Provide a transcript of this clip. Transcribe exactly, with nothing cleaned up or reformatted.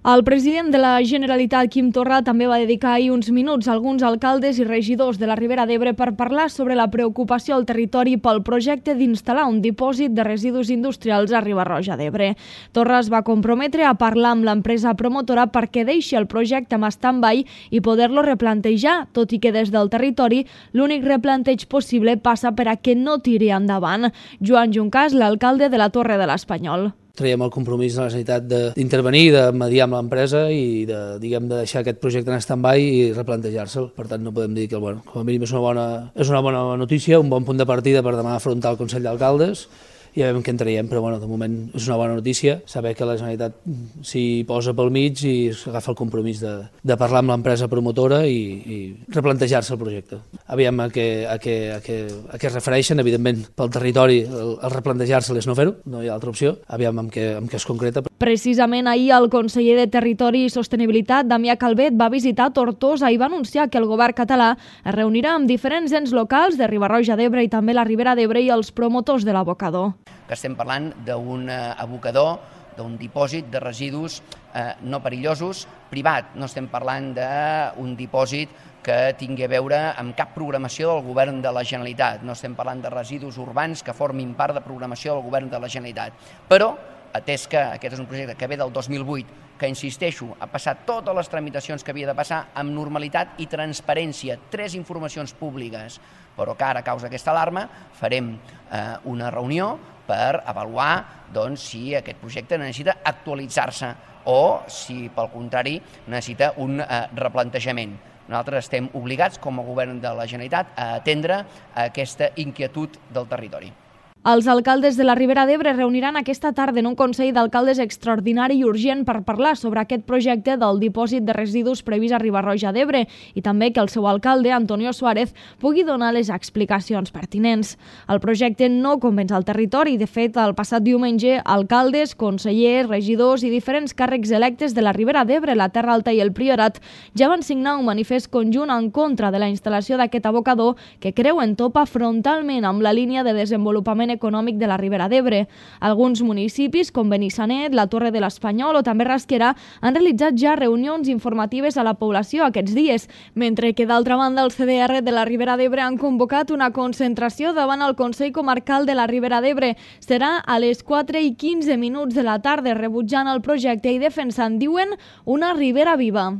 El president de la Generalitat, Quim Torra, també va dedicar ahir uns minuts a alguns alcaldes i regidors de la Ribera d'Ebre per parlar sobre la preocupació al territori pel projecte d'instal·lar un dipòsit de residus industrials a Riba-roja d'Ebre. Torra es va comprometre a parlar amb l'empresa promotora perquè deixi el projecte en stand-by i poder-lo replantejar, tot i que des del territori l'únic replanteig possible passa per a que no tiri endavant. Joan Juncàs, l'alcalde de la Torre de l'Espanyol. Traiem el compromís de la necessitat d'intervenir, de, de mediar amb l'empresa i de, diguem, de deixar aquest projecte en stand-by i replantejar-se'l. Per tant, no podem dir que, bueno, com a mínim és una bona, és una bona notícia, un bon punt de partida per demà afrontar el Consell d'Alcaldes. I ja veiem què en traiem, però bueno, de moment és una bona notícia saber que la Generalitat s'hi posa pel mig i agafa el compromís de, de parlar amb l'empresa promotora i, i replantejar-se el projecte. Aviam a què, a, què, a, què, a què es refereixen, evidentment pel territori el, el replantejar-se és no fer-ho, no hi ha altra opció, aviam amb què, amb què es concreta. Precisament ahir el conseller de Territori i Sostenibilitat, Damià Calvet, va visitar Tortosa i va anunciar que el govern català es reunirà amb diferents ens locals de Riba-roja d'Ebre i també la Ribera d'Ebre i els promotors de l'abocador. Que estem parlant d'un abocador, d'un dipòsit de residus eh, no perillosos, privat. No estem parlant d'un dipòsit que tingui a veure amb cap programació del govern de la Generalitat. No estem parlant de residus urbans que formin part de programació del govern de la Generalitat. Però, atès que aquest és un projecte que ve del dos mil vuit, que, insisteixo, ha passat totes les tramitacions que havia de passar amb normalitat i transparència, tres informacions públiques, però que ara, a causa d'aquesta alarma, farem eh, una reunió per avaluar doncs, si aquest projecte necessita actualitzar-se o si, pel contrari, necessita un eh, replantejament. Nosaltres estem obligats, com a govern de la Generalitat, a atendre aquesta inquietud del territori. Els alcaldes de la Ribera d'Ebre reuniran aquesta tarda en un Consell d'Alcaldes extraordinari i urgent per parlar sobre aquest projecte del dipòsit de residus previst a Riba-roja d'Ebre i també que el seu alcalde, Antonio Suárez, pugui donar les explicacions pertinents. El projecte no convenç al territori. De fet, el passat diumenge, alcaldes, consellers, regidors i diferents càrrecs electes de la Ribera d'Ebre, la Terra Alta i el Priorat ja van signar un manifest conjunt en contra de la instal·lació d'aquest abocador que creuen topa frontalment amb la línia de desenvolupament econòmic de la Ribera d'Ebre. Alguns municipis, com Benissanet, la Torre de l'Espanyol o també Rasquera, han realitzat ja reunions informatives a la població aquests dies, mentre que d'altra banda el C D R de la Ribera d'Ebre han convocat una concentració davant el Consell Comarcal de la Ribera d'Ebre. Serà a les quatre i quinze minuts de la tarda, rebutjant el projecte i defensant, diuen, una Ribera viva.